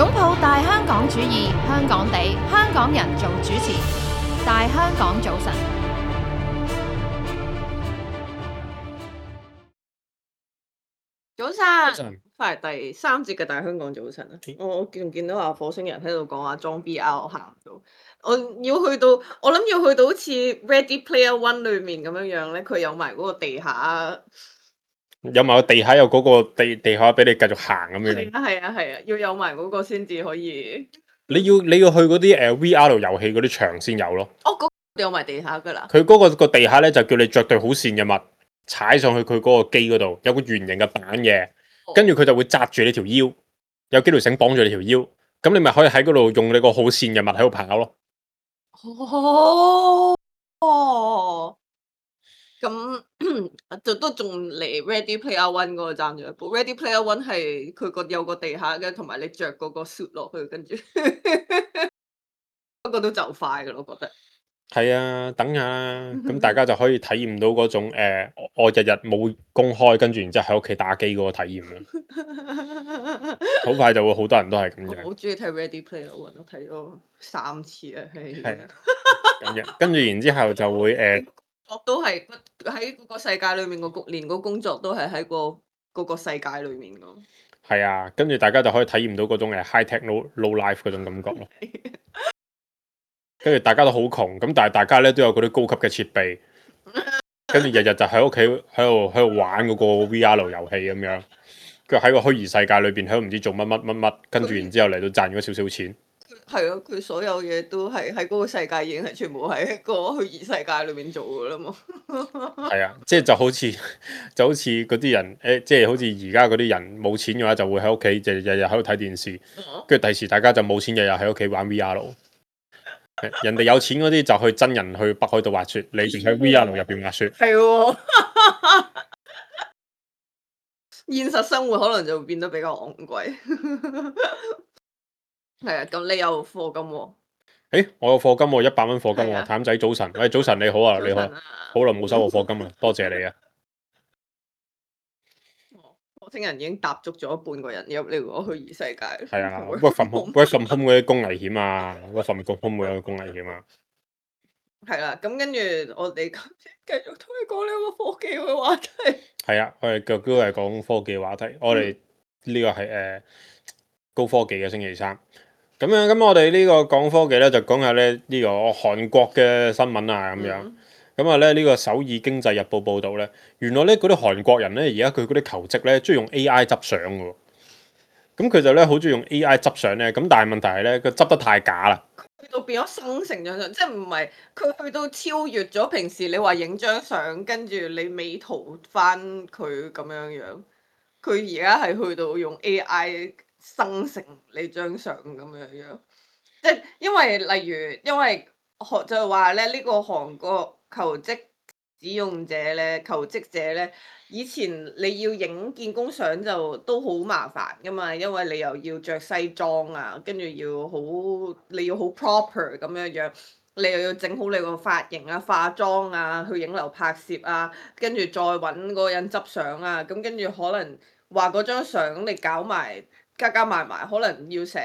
擁抱大香港主義，香港地，香港人做主持。大香港早晨，早晨，翻嚟第3節嘅大香港早晨啊！我見到火星人喺度講話裝 VR 行唔到，我諗要去到好似 Ready Player One 裏面咁樣咧，佢有埋嗰個地下，有埋個地下有嗰個地下俾你繼續行咁樣。係啊，要有埋嗰個先至可以。你要去嗰啲VR 遊戲嗰啲場先有咯。哦，嗰有埋地下噶啦。佢嗰個地下咧就叫你着對好跣嘅襪，踩上去佢嗰個機嗰度，有個圓形嘅板嘅，跟住佢就會紮住你條腰，有幾條繩綁住你條腰，咁你咪可以喺嗰度用你個好跣嘅襪喺度跑咯。哦，咁就都仲離 Ready Player One 嗰個爭咗一步。Ready Player One 係佢有個地下嘅，同埋你着嗰個 suit 落去，跟住不過都就快噶咯，我覺得。係啊，等下啦，咁大家就可以體驗到嗰種我日日冇公開，跟住然之後喺屋企打機嗰個體驗啦。好快就會好多人都係咁樣。我好中意睇 Ready Player One，我睇咗3次啊，係。咁樣，跟住然之後就會我都係喺嗰個世界裏面連個工作都係喺嗰個世界裏面噶。係啊，跟住大家就可以體驗到嗰種high tech low life 嗰種感覺咯。跟住大家都好窮，咁但係大家咧都有嗰啲高級嘅設備，跟住日日就喺屋企喺度玩嗰個 VR 遊戲咁樣，跟住喺個虛擬世界裏邊喺度唔知做乜，跟住然之後嚟到賺咗少少錢。係啊，佢所有嘢都係喺嗰個世界已經係全部喺個虛擬世界裏面做噶啦嘛。係啊，即係就好似嗰啲人即係好似而家嗰啲人冇錢嘅話，就會喺屋企就日日喺度睇電視，跟住第時大家就冇錢，日日喺屋企玩 VR。人哋有錢嗰啲就去真人去北海道滑雪，你仲喺 VR 入邊滑雪。係喎，現實生活可能就會變得比較昂貴。係啊，咁你有課金喎？我有課金喎，100蚊課金喎。係啊譚仔早晨，喂，早晨你好啊，你好，好耐冇收過課金啦，多謝你啊。火星人已經踏足咗半個人入呢個虛擬世界。係啊，work from home 嗰啲工危險啊，work from home 嗰啲工危險啊。係啦，咁跟住我哋繼續同你講呢個科技嘅話題。係啊，我哋都係講科技嘅話題。我哋呢個係高科技嘅星期三。咁我哋呢個講科技咧，就講下咧呢個韓國嘅新聞啊咁樣。咁啊咧呢個首爾經濟日報報導咧，原來咧嗰啲韓國人咧而家佢嗰啲求職咧，中意用 AI 執相喎。咁佢就咧好中意用 AI 執相咧，咁但係問題係咧，佢執得太假啦。去到變咗生成咗相，即係唔係佢去到超越咗平時你話影張相，跟住你美圖翻佢咁樣樣。佢而家係去到用 AI 生成你張相咁樣樣，即係因為就係話咧，呢個韓國求職使用者咧、求職者咧，以前你要影見工相就都好麻煩噶嘛，因為你又要着西裝啊，跟住你要好 proper 咁樣樣，你又要整好你個髮型啊、化妝啊、去影樓拍攝啊，跟住再揾嗰個人執相啊，咁跟住可能話嗰張相你搞埋加埋，可能要成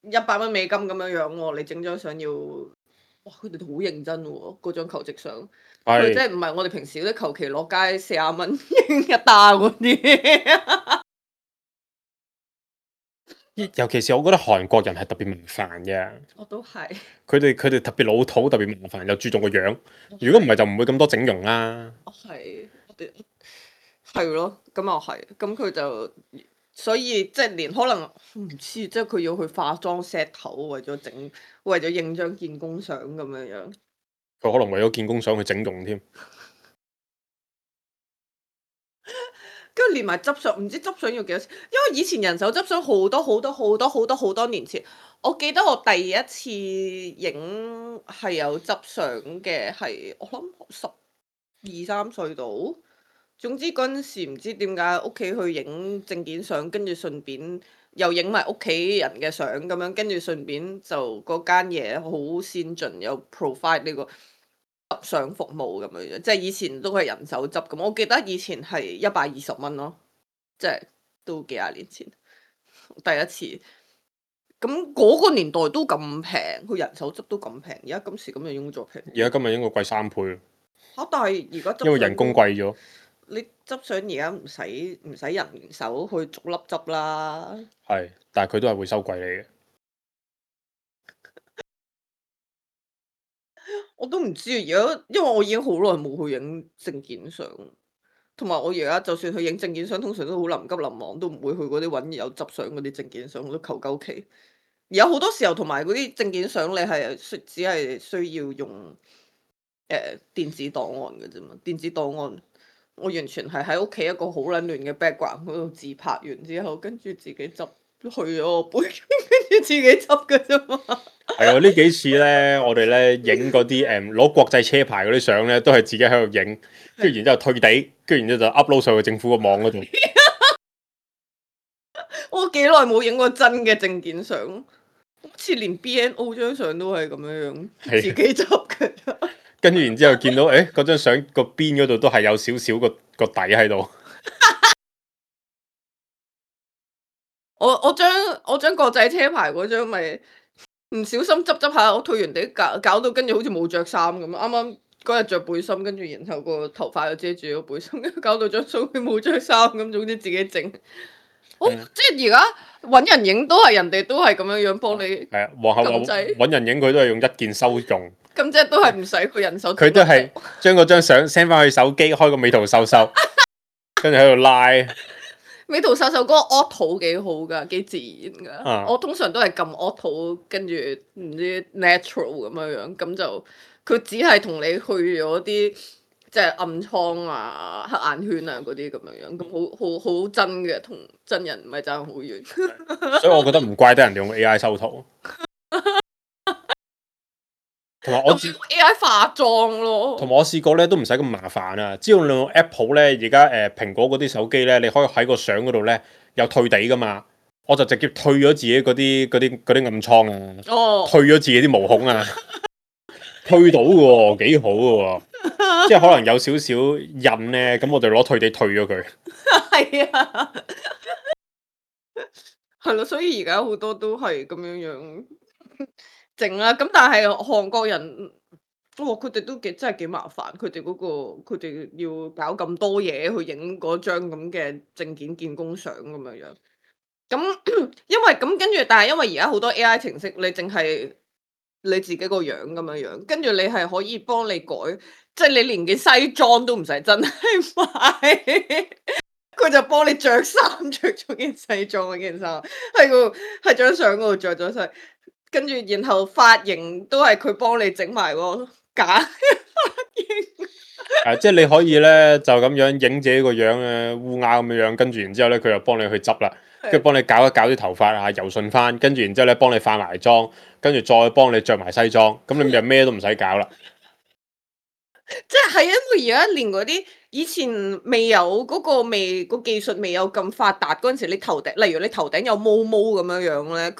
100蚊美金咁樣樣喎，你整張相要。哇！佢哋好認真喎，嗰張求職相，佢即係唔係我哋平時嗰啲求其落街40蚊影一單嗰啲。尤其是我覺得韓國人係特別麻煩嘅。我都係。佢哋特別老土，特別麻煩，又注重個樣。如果唔係就唔會咁多整容啦。係，係咯，咁又係，咁佢就所以即係連可能唔知，即係佢要去化妝 set 頭，為咗影張見工相咁樣樣。佢可能為咗見工相去整容添。跟住連埋執相，唔知執相要幾多錢？因為以前人手執相好多年前，我記得我第一次影係有執相嘅，係我諗12、13歲到。總之嗰陣時唔知點解屋企去影證件相，跟住順便又影埋屋企人嘅相咁樣，跟住順便就嗰間嘢好先進，有 provide 呢個執相服務咁樣樣，即係以前都係人手執咁。我記得以前係120蚊咯，即係都幾廿年前第一次。咁嗰個年代都咁平，佢人手執都咁平，而家今時今日應該再平。而家今日應該貴3倍，嚇！但係而家執因為人工貴咗。你執相而家唔使人手去逐粒執啦。係，但係佢都係會收貴你嘅。我都唔知啊，而家因為我已經好耐冇去影證件相，同埋我而家就算去影證件相，通常都好臨急臨忙，都唔會去嗰啲揾有執相嗰啲證件相，我都求鳩其。而有好多時候同埋嗰啲證件相，你係只係需要用電子檔案嘅啫嘛，電子檔案我完全係喺屋企一個好撚亂嘅 background 嗰度自拍完之後，跟住自己執去咗我背，跟住自己執嘅啫嘛。係啊，呢幾次咧，我哋咧影嗰啲攞國際車牌嗰啲相咧，都係自己喺度影，跟住然之後退地，跟住然之後就 upload 上去政府個網嗰度。我幾耐冇影過真嘅證件相，好似連 BNO 張相都係咁樣自己執嘅。跟住然之後見到嗰張相個邊嗰度都係有少少個底喺度。我將國際車牌嗰張咪唔小心執下，我退完地搞到跟住好似冇着衫咁。啱啱嗰日着背心，跟住然後個頭髮又遮住咗背心，搞到張相佢冇着衫咁，總之自己整。即係而家揾人影都係人哋都係咁樣幫你。係啊，皇后揾人影佢都係用一鍵收用。咁即係都係唔使佢人手。佢都係將嗰張相 send 翻去手機，開個美圖秀秀，跟住喺度拉。美圖秀秀嗰個 auto 幾好噶，幾自然噶。我通常都係撳 auto，跟住唔知 natural 咁樣，咁就佢只係同你去咗啲即係暗瘡啊、黑眼圈啊嗰啲咁樣，咁好真嘅，同真人唔係爭好遠。所以我覺得唔怪得人哋用 AI 修圖。同埋我AI 化妝咯，同埋我試過咧都唔使咁麻煩啊！只要你用 Apple 咧，而家蘋果嗰啲手機咧，你可以喺個相嗰度咧有退地噶嘛，我就直接退咗自己嗰啲暗瘡啊，退咗自己啲毛孔啊，退到嘅喎，幾好嘅喎，即係可能有少少印咧，咁我就攞退地退咗佢。係啊，係咯，所以而家好多都係咁樣整啦。咁但係韓國人，佢哋都真係幾麻煩，佢哋佢哋要搞咁多嘢去影嗰張咁嘅證件見工相咁樣。咁因為咁跟住，但係因為而家好多 AI 程式，你淨係你自己個樣咁樣，跟住你係可以幫你改，即係你連件西裝都唔使真係買，佢就幫你着衫，着咗件西裝嗰件衫喺張相嗰度着咗晒，跟住然後髮型都係佢幫你整埋個假髮型。即係你可以咧就咁樣影自己個樣烏鴉咁樣，跟住然之後咧佢就幫你去執啦，跟住幫你搞一搞啲頭髮啊，柔順翻，跟住然之後咧幫你化埋妝，跟住再幫你着埋西裝，咁你就咩都唔使搞啦。即係因為而家連嗰啲以前未有嗰個技術未有咁發達嗰陣時，你頭頂例如你頭頂有毛毛咁樣咧，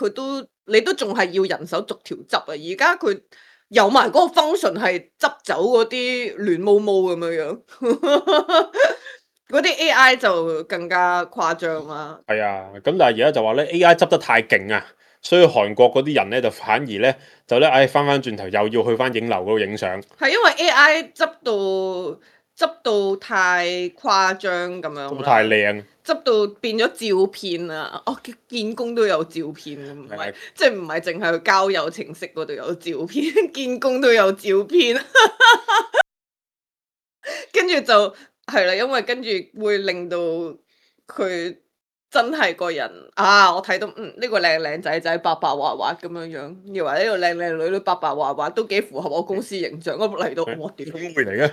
你都仲係要人手逐條執啊！而家佢有埋嗰個 function 係執走嗰啲亂毛毛咁樣，嗰啲 AI 就更加誇張啦。係啊，咁但係而家就話咧 AI 執得太勁啊，所以韓國嗰啲人咧就反而咧翻翻轉頭又要去翻影樓嗰度影相。係因為 AI 執到太誇張咁樣，執到太靚，執到變咗照片啊！見工都有照片，唔係即係唔係淨係去交友程式嗰度有照片，見工都有照片，跟住就係啦，因為跟住會令到佢真係個人啊！我睇到呢個靚仔白白滑滑咁樣，以為呢個靚女白白滑滑都幾符合我公司形象，我嚟到我屌會嚟嘅。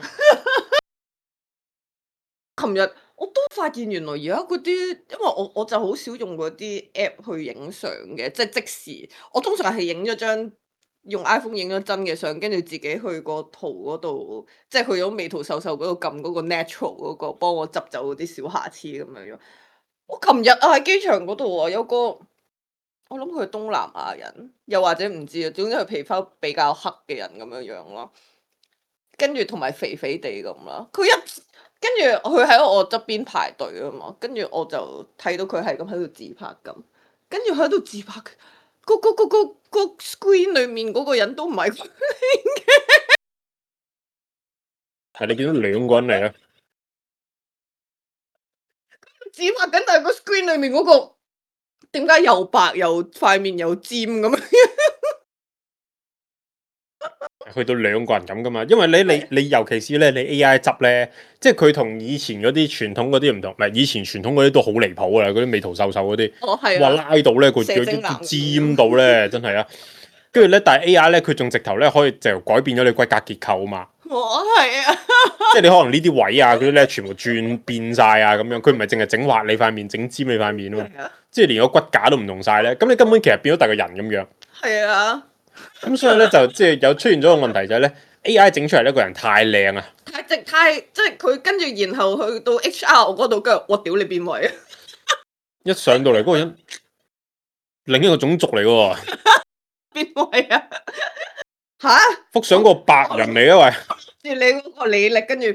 琴日我都發現原來而家嗰啲，因為我就好少用嗰啲 app 去影相嘅，即係即時。我通常係影咗張用 iPhone 影咗真嘅相，跟住自己去個圖嗰度，即係去咗美圖秀秀嗰度撳嗰個 natural 嗰個，幫我執走嗰啲小瑕疵咁樣。我琴日喺機場嗰度有個，我諗佢係東南亞人，又或者唔知啊，總之佢皮膚比較黑嘅人咁樣咯。跟住同埋肥肥地咁啦，跟住佢喺我側邊排隊啊嘛，跟住我就睇到佢係咁喺度自拍咁，跟住喺度自拍，個 screen 裡面嗰個人都唔係佢，係你見到兩個人嚟啊！指拍緊，但係個 screen 裡面嗰個點解又白又塊面又尖咁樣？去到兩個人咁噶嘛，因為你尤其是咧，你 AI 執咧，即係佢同以前嗰啲傳統嗰啲唔同，唔係以前傳統嗰啲都好離譜噶啦，嗰啲美圖秀秀嗰啲，哦係哇啊，拉到咧個射精男尖到咧，真係啊！跟住咧，但係 AI 咧，佢仲直頭咧可以就改變咗你骨骼結構啊嘛，我係啊，即係你可能呢啲位啊嗰啲咧全部轉變晒啊咁樣，佢唔係淨係整滑你塊面，整尖你塊面啊嘛，係啊，即係連個骨架都唔同晒咧，咁你根本其實變咗第個人咁樣。係啊，咁所以咧就即係有出現咗個問題就係咧 AI 整出嚟呢個人太靚啊！太即係佢跟住然後去到 HR 嗰度，跟住我屌你邊位啊？一上到嚟嗰個人另一個種族嚟嘅喎，邊位啊？吓？幅相個白人嚟啊住你嗰個履歷，跟住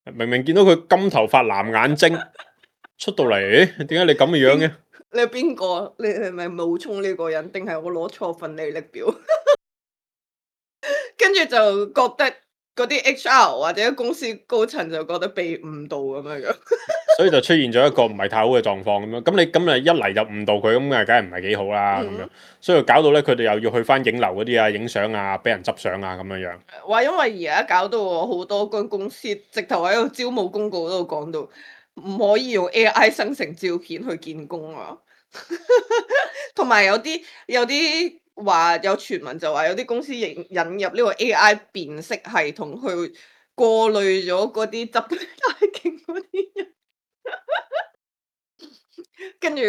喂，明明見到佢金頭髮藍眼睛出到嚟，點解你咁嘅樣嘅？你係邊個？你係咪冒充呢個人，定係我攞錯份履歷表？跟住就覺得嗰啲 HR 或者公司高層就覺得被誤導咁樣，所以就出現咗一個唔係太好嘅狀況咁樣。咁你咁啊一嚟就誤導佢，咁啊梗係唔係幾好啦咁樣。所以搞到咧佢哋又要去翻影樓嗰啲啊、影相啊、俾人執相啊咁樣樣。話因為而家搞到我好多間公司直頭喺個招募公告嗰度講到，唔可以用 AI 生成照片去見工啊。同埋有啲話有傳聞就話有啲公司引入呢個 AI 辨識系統去過濾咗嗰啲執得太勁嗰啲人，跟住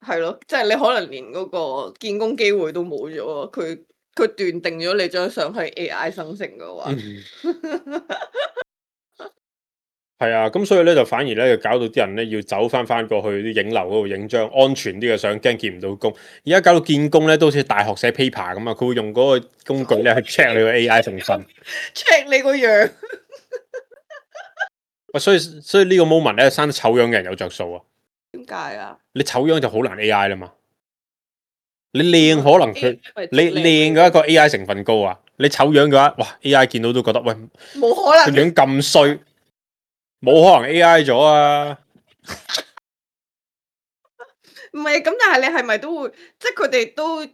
係咯，即係你可能連嗰個見工機會都冇咗啊！佢斷定咗你張相係 AI 生成嘅話，係啊，咁所以咧就反而咧就搞到啲人咧要走翻過去啲影樓嗰度影張安全啲嘅相，驚見唔到工。而家搞到見工咧都好似大學寫 paper 咁啊，佢會用嗰個工具咧去 check 你個 AI 成分。check 你個樣。喂，所以呢個 moment 咧生得醜樣嘅人有着數啊！點解啊？你醜樣就好難 AI 啦嘛。你靚可能佢 AI 你靚嘅一個 AI 成分高啊，你醜樣嘅話，哇 AI 見到都覺得喂冇可能，個樣咁衰，冇可能 AI 咗啊！唔係咁，但係你係咪都會，即係佢哋都，即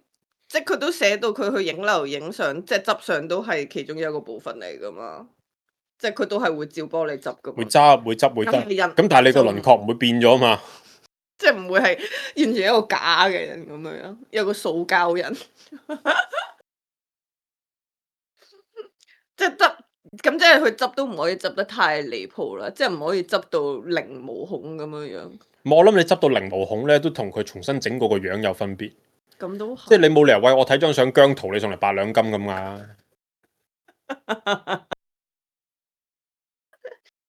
係佢都寫到佢去影樓影相，即係執相都係其中一個部分嚟噶嘛，即係佢都係會照幫你執噶嘛。會執會得，咁人咁但係你個輪廓唔會變咗嘛？即係唔會係完全一個假嘅人咁樣，有個塑膠人，即係執咁，即係佢執都唔可以執得太離譜啦，即係唔可以執到零毛孔咁樣樣。我諗你執到零毛孔咧，都同佢重新整過個樣有分別。咁都即係你冇理由喂我睇張相姜濤，你送嚟8兩金咁啊！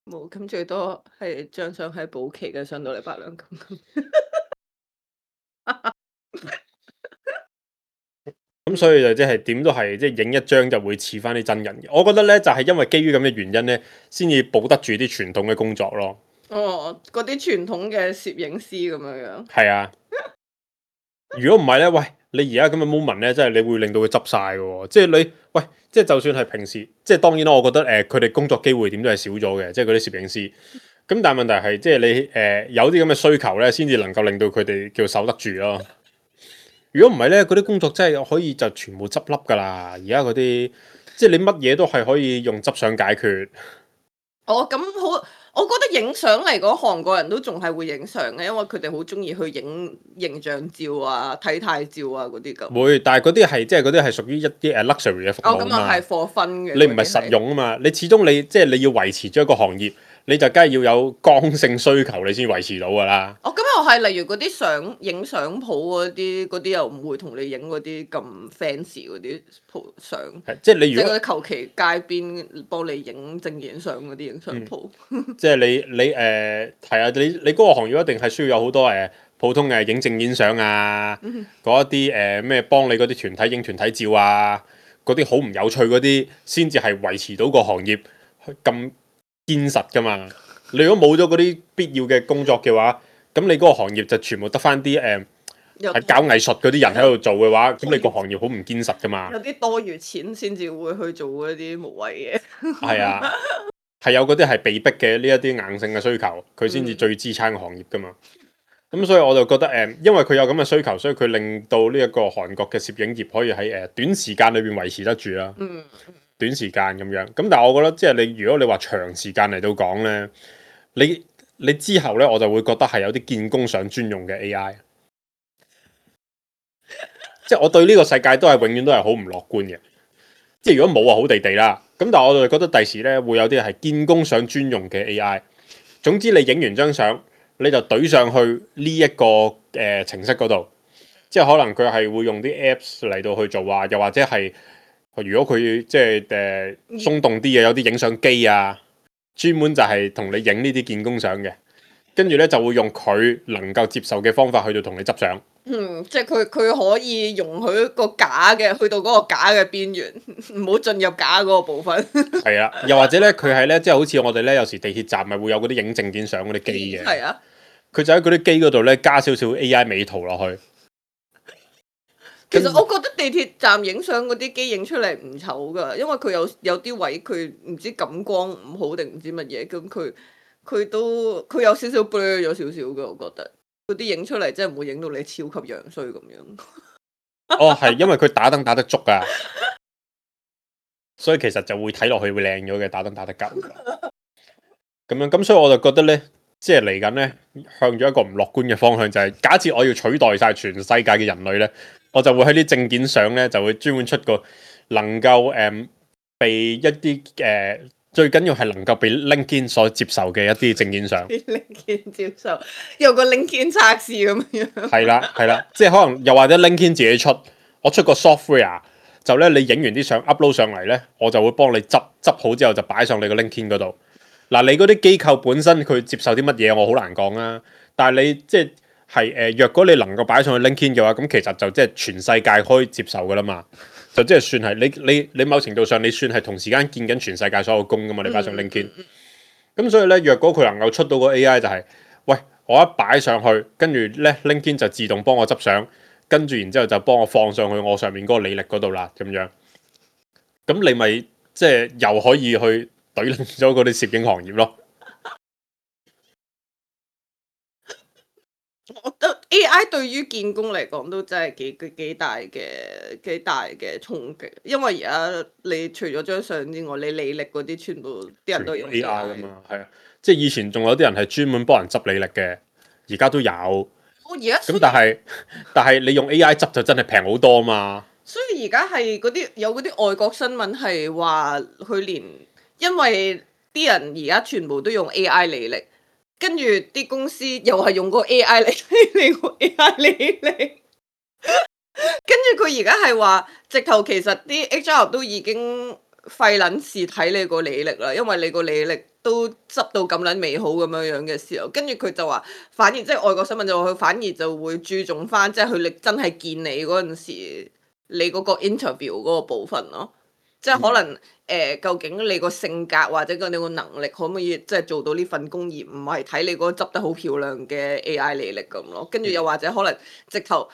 冇，咁最多係張相係保期嘅，上到嚟8兩金咁。咁所以就即係點都係即係影一張就會似翻啲真人嘅。我覺得咧就係因為基於咁嘅原因咧，先至保得住啲傳統嘅工作咯。哦，嗰啲傳統嘅攝影師咁樣樣。係啊，如果唔係咧，喂，你而家咁嘅 moment 咧，真係你會令到佢執晒嘅喎。即係你喂，即係就算係平時，即係當然啦，我覺得佢哋工作機會點都係少咗嘅，即係嗰啲攝影師。咁但係問題係，即係你有啲咁嘅需求咧，先至能夠令到佢哋叫守得住咯。如果唔係咧，嗰啲工作真係可以就全部執笠㗎啦。而家嗰啲即係你乜嘢都係可以用執相解決。哦，咁好，我覺得影相嚟講，韓國人都仲係會影相嘅，因為佢哋好中意去影形象照啊、體態照啊嗰啲咁。會，但係嗰啲係即係嗰啲係屬於一啲luxury 嘅服務哦，咁啊係 for fun 嘅。你唔係實用啊嘛，你始終你即係你要維持咗一個行業，你就梗係要有剛性需求，你先維持到㗎啦。哦，咁又係，例如嗰啲影相鋪嗰啲又唔會同你影嗰啲咁 fancy 嗰啲鋪相。係即係你即係如果嗰啲求其街邊幫你影證件相嗰啲影相鋪。即係你係啊，你嗰個行業一定係需要有好多普通嘅影證件相啊，嗰一啲咩幫你嗰啲團體影團體照啊，嗰啲好唔有趣嗰啲，先至係維持到個行業咁堅實噶嘛。你如果冇咗嗰啲必要嘅工作嘅話，咁你嗰個行業就全部得翻啲有係搞藝術嗰啲人喺度做嘅話，咁你個行業好唔堅實噶嘛？有啲多餘錢先至會去做嗰啲無謂嘢。係啊，係有嗰啲係被逼嘅呢一啲硬性嘅需求，佢先至最支撐個行業噶嘛。咁所以我就覺得因為佢有咁嘅需求，所以佢令到呢一個韓國嘅攝影業可以喺短時間裏邊維持得住啦。短時間咁樣，咁但係我覺得即係如果你話長時間嚟到講咧，你之後咧，我就會覺得係有啲見工想專用嘅 AI。即係我對呢個世界都係永遠都係好唔樂觀嘅。即係如果冇啊，好地地啦。咁但係我就覺得第時咧會有啲係見工想專用嘅 AI。總之你影完張相，你就懟上去呢一個程式嗰度，即係可能佢係會用啲 Apps 嚟到去做啊，又或者係如果佢即係鬆動啲嘅，有啲影相機啊，專門就係同你影呢啲見工相嘅，跟住咧就會用佢能夠接受嘅方法去到同你執相。即係佢可以容許一個假嘅去到嗰個假嘅邊緣，唔好進入假嗰個部分。係啊，又或者咧，佢係咧，即係好似我哋咧，有時地鐵站咪會有嗰啲影證件相嗰啲機嘅。係啊，佢就喺嗰啲機嗰度咧加少少 AI 美圖落去。其實我覺得地鐵站影相嗰啲機影出嚟唔醜噶，因為佢有啲位佢唔知感光唔好定唔知乜嘢，咁佢有少少 blur 咗少少噶，我覺得嗰啲影出嚟真係唔會影到你超級樣衰咁樣。哦，係因為佢打燈打得足啊，所以其實就會睇落去會靚咗嘅，打燈打得夠。咁樣咁，所以我就覺得咧，即係嚟緊咧，向咗一個唔樂觀嘅方向，就係假設我要取代晒全世界嘅人類咧。我就會喺啲證件相咧，就會專門出個能夠被一啲最緊要係能夠被 LinkedIn 所接受嘅一啲證件相。LinkedIn 接受有個 LinkedIn 測試咁樣。係啦，即係可能又或者 LinkedIn 自己出，我出個 software，就咧你影完啲相 upload 上嚟咧，我就會幫你執好之後就擺上你個 LinkedIn 嗰度。嗱，你嗰啲機構本身佢接受啲乜嘢，我好難講啊。但係你即係。若果你能夠擺上去 LinkedIn 嘅話，咁其實就即係全世界可以接受噶啦嘛，就即係算係你某程度上你算係同時間見緊全世界所有工噶嘛，你擺上 LinkedIn。咁所以咧，若果佢能夠出到個 AI 就係，喂，我一擺上去，跟住咧 LinkedIn 就自動幫我執相，跟住然之後就幫我放上去我上面嗰個履歷嗰度啦，咁樣。咁你咪即係又可以去懟冧咗嗰啲攝影行業咯。我覺得 AI 對於見工嚟講都真係幾大嘅衝擊，因為而家你除咗張相之外，你履歷嗰啲全部啲人都用 AI 噶嘛，係啊，即係以前仲有啲人係專門幫人執履歷嘅，而家都有。而家咁但係你用 AI 執就真係平好多嘛。所以而家係有嗰啲外國新聞係話佢連，因為啲人而家全部都用 AI 履歷。跟住啲公司又係用個 AI 嚟個 AI 履歷，跟住佢而家係話，直頭其實啲 HR 都已經費撚事睇你個履歷啦，因為你個履歷都執到咁撚美好咁樣嘅時候，跟住佢就話，反而即係外國新聞就話佢反而就會注重翻，即係佢真係見你嗰陣時，你嗰個 interview 嗰個部分咯。即係可能究竟你個性格或者你個能力可唔可以即係做到呢份工，而唔係睇你嗰個執得好漂亮嘅 AI 履歷咁咯。跟住又或者可能直頭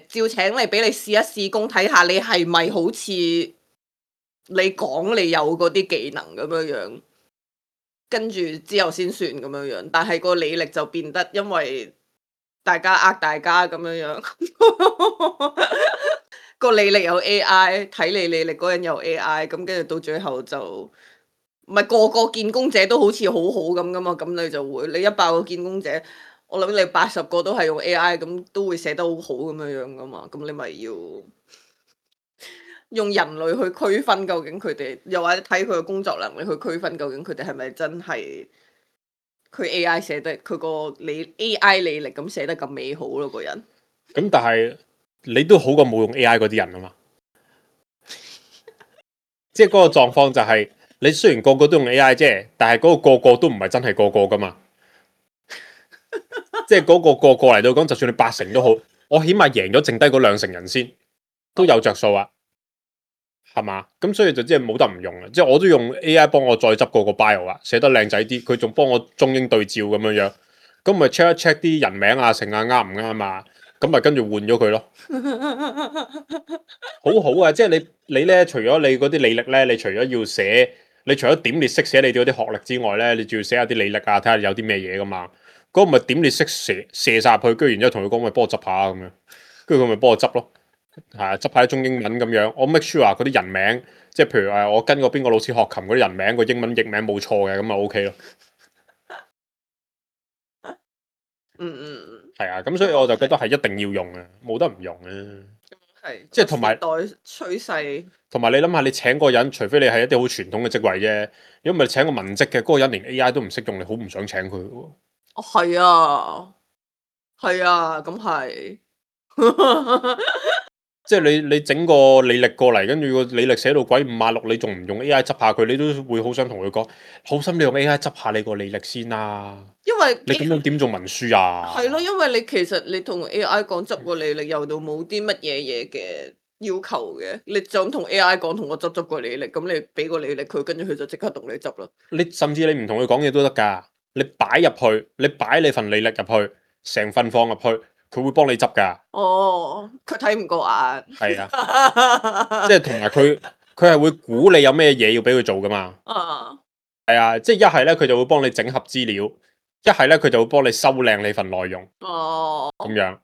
照請你俾你試一試工，睇下你係咪好似你講你有嗰啲技能咁樣樣，跟住之後先算咁樣樣。但係個履歷就變得因為大家大家咁樣樣。個履歷有 AI， 睇你履歷嗰人有 AI， 咁跟住到最後就唔係個個見工者都好似好好咁噶嘛，咁你就會你100個見工者，我諗你80個都係用 AI，咁都會寫得好好咁樣樣噶嘛，咁你咪要用人類去區分究竟佢哋，又或者睇佢嘅工作能力去區分究竟佢哋係咪真係佢 AI 寫得佢個AI 履歷咁寫得咁美好咯，個人。咁但係。你都好過冇用 AI 嗰啲人啊嘛，即係嗰個狀況就係你雖然個個都用 AI 啫，但係嗰個個都唔係真係個個噶嘛，即係嗰個個嚟到講，就算你80%都好，我起碼贏咗剩低嗰2成人先，都有着數啊，係嘛？咁所以就即係冇得唔用啊，即係我都用 AI 幫我再執個 bio 啊，寫得靚仔啲，佢仲幫我中英對照咁樣樣，咁咪 check 一 check 啲人名啊，成啊啱唔啱啊？咁咪跟住換咗佢咯。好好啊，即係你咧，除咗你嗰啲履歷咧，你除咗要寫，你除咗點列式寫你嗰啲學歷之外咧，你仲要寫下啲履歷啊，睇下有啲咩嘢噶嘛。嗰、個咪點列式射晒入去，跟住然之後同佢講，咪幫我執下咁樣，跟住佢咪幫我執咯。係啊，執下啲中英文咁樣，我 make sure 嗰啲人名，即係譬如我跟過邊個老師學琴嗰啲人名，個英文譯名冇錯嘅，咁咪 OK 咯。係啊，咁所以我就覺得係一定要用嘅，冇得唔用嘅。係即係同埋時代趨勢。同埋你諗下，你請個人，除非你係一啲好傳統嘅職位啫，如果唔係請個文職嘅，嗰個人連 AI 都唔識用，你好唔想請佢喎。哦，係啊，係啊，咁係。即係你整個履歷過嚟，跟住個履歷寫到鬼5馬6，你仲唔用 AI 執下佢，你都會好想同佢講，好心你用 AI 執下你個履歷先啦。因為你咁樣點做文書啊？係咯，因為你其實你同 AI 講執個履歷，又到冇啲乜嘢嘢嘅要求嘅，你就咁同 AI 講，同我執個履歷，咁你俾個履歷佢，跟住佢就即刻同你執啦。你甚至你唔同佢講嘢都得㗎，你擺入去，你擺你份履歷入去，成份放入去。佢會幫你執㗎。哦，佢睇唔過眼。係啊，即係同埋佢係會估你有咩嘢要俾佢做㗎嘛。啊，係啊，即係一係咧佢就會幫你整合資料，一係咧佢就會幫你修靚你份內容。哦，咁樣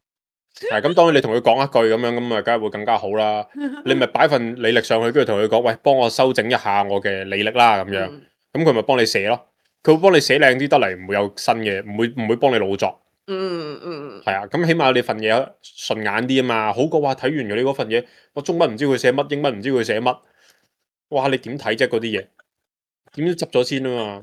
係咁，當然你同佢講一句咁樣，咁啊，梗係會更加好啦。你咪擺份履歷上去，跟住同佢講，喂，幫我修整一下我嘅履歷啦，咁樣。咁佢咪幫你寫咯，佢會幫你寫靚啲得嚟，唔會有新嘅，唔會幫你老作。係啊，咁起碼你份嘢順眼啲啊嘛，好過話睇完咗你嗰份嘢，我中文唔知佢寫乜，英文唔知佢寫乜，哇！你點睇啫？嗰啲嘢點都執咗先啊嘛。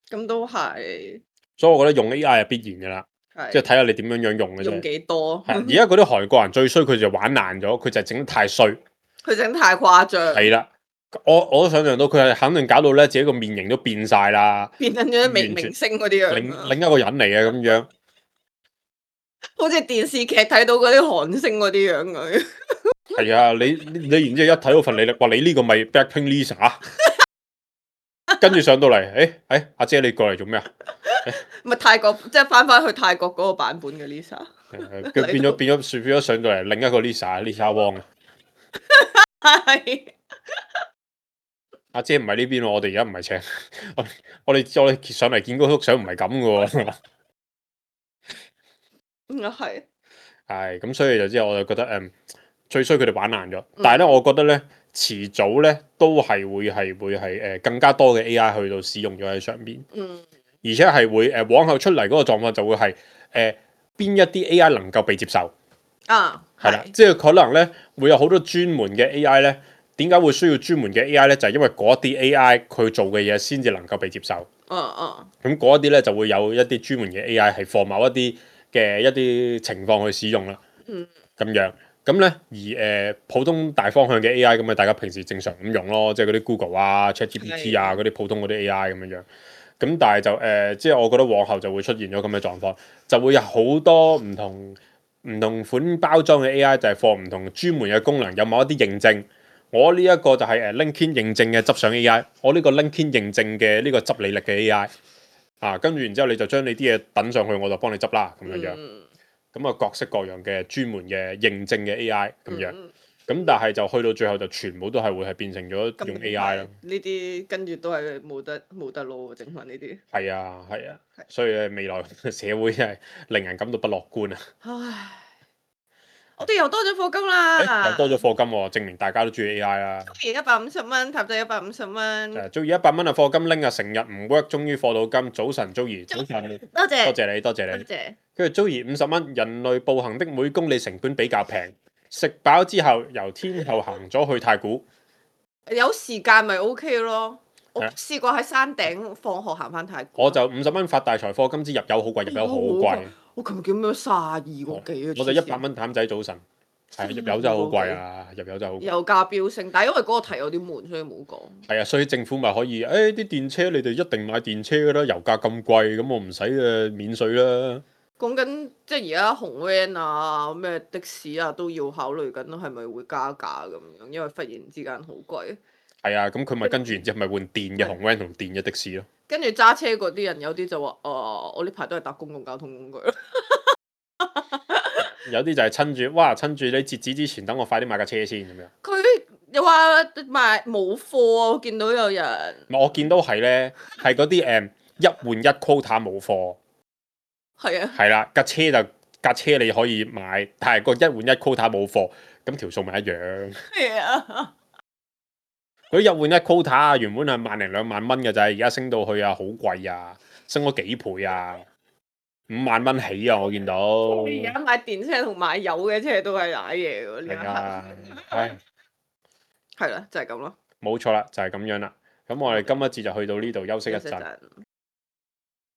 咁都係。所以我覺得用 AI 係必然噶啦，即係睇下你點樣用嘅啫。用幾多？係而家嗰啲韓國人最衰，佢就玩爛咗，佢就係整得太衰。佢整太誇張。係啦，我都想象到佢係肯定搞到咧自己個面型都變晒啦，變緊咗明星嗰啲樣。另一個人嚟嘅咁樣。好似電視劇睇到嗰啲韓星嗰啲樣佢。係啊，你然之後一睇到份履歷，話你呢個咪 Blackpink Lisa，跟住上到嚟，阿姐你過嚟做咩啊？咪泰國即係翻去泰國嗰個版本嘅 Lisa。佢變咗上到嚟另一個 Lisa Wong 啊。係。阿姐唔係呢邊喎，我哋而家唔係請我哋上嚟見嗰幅相唔係咁嘅喎。係。係咁，所以就之後我就覺得最衰佢哋玩爛咗。但係咧，我覺得咧遲早咧都係會係更加多嘅 AI 去到使用咗喺上邊。而且係會往後出嚟嗰個狀況就會係邊一啲 AI 能夠被接受啊？係啦，即係可能咧會有好多專門嘅 AI 咧。點解會需要專門嘅 AI 咧？就係因為嗰啲 AI 佢做嘅嘢先至能夠被接受。咁嗰一啲咧就會有一啲專門嘅 AI 係放某一啲嘅一啲情況去使用啦。咁樣咁咧，而普通大方向嘅 AI 咁咪大家平時正常咁用咯，即係嗰啲 Google 啊、ChatGPT 啊嗰啲普通嗰啲 AI 咁樣。咁但係就即係我覺得往後就會出現咗咁嘅狀況，就會有好多唔同款包裝嘅 AI 就係放唔同專門嘅功能，有某一啲認證。我呢一個就係LinkedIn 認證嘅執相 AI，我呢個 LinkedIn 認證嘅呢個執履歷嘅 AI 啊，跟住然之後你就將你啲嘢等上去，我就幫你執啦咁樣樣。咁啊各式各樣嘅專門嘅認證嘅 AI 咁樣，咁但係就去到最後就全部都係會係變成咗用 AI 咯。呢啲跟住都係冇得撈整翻呢啲。係啊，所以未來社會真係令人感到不樂觀啊！唉。我哋又多咗課金啦，又多咗課金喎，證明大家都中意 AI 啦。而150蚊，塔仔150蚊。中意100蚊啊課金拎啊，成日唔 work，終於課到金。早晨，Joey，早晨，多謝，多謝你，多謝你。跟住 Joey 50蚊，人類步行的每公里成本比較平，食飽之後由天后行咗去太古。有時間咪 OK 咯。我試過喺山頂放學行翻太古。我就50蚊發大財課金，之入油好貴，入油好貴。我琴日叫咩32個幾啊？我就100蚊譚仔早晨，係入油真係好貴啊！入油真係好貴。油價飆升，但係因為嗰個題有啲悶，所以冇講。係啊，所以政府咪可以啲電車你哋一定買電車㗎啦，油價咁貴，咁我唔使免稅啦。講緊即係而家紅 van 啊、咩的士啊都要考慮緊，係咪會加價咁樣？因為忽然之間好貴。係啊，咁佢咪跟住然之後咪換電嘅紅 van 同電嘅的士咯。跟住揸車嗰啲人有啲就話：我呢排都係搭公共交通工具。有啲就係趁住你截止之前，等我快啲買架車先咁樣。佢又話賣冇貨啊！我見到有人唔係我見到係咧，係嗰啲一換一 quota 冇貨，係啊，係啦，架車你可以買，但係個一換一 quota 冇貨，咁條數咪一樣。係啊，嗰啲一換一 quota 原本係1零2萬蚊嘅咋，而家升到去啊，好貴啊，升咗幾倍啊，5萬蚊起啊！我見到。而家買電車同買油嘅車都係瀨嘢喎，呢一係啊，刻唉，係啦，就係咁咯。冇錯啦，就係咁樣啦。咁我哋今一節就去到呢度休息一陣。休息陣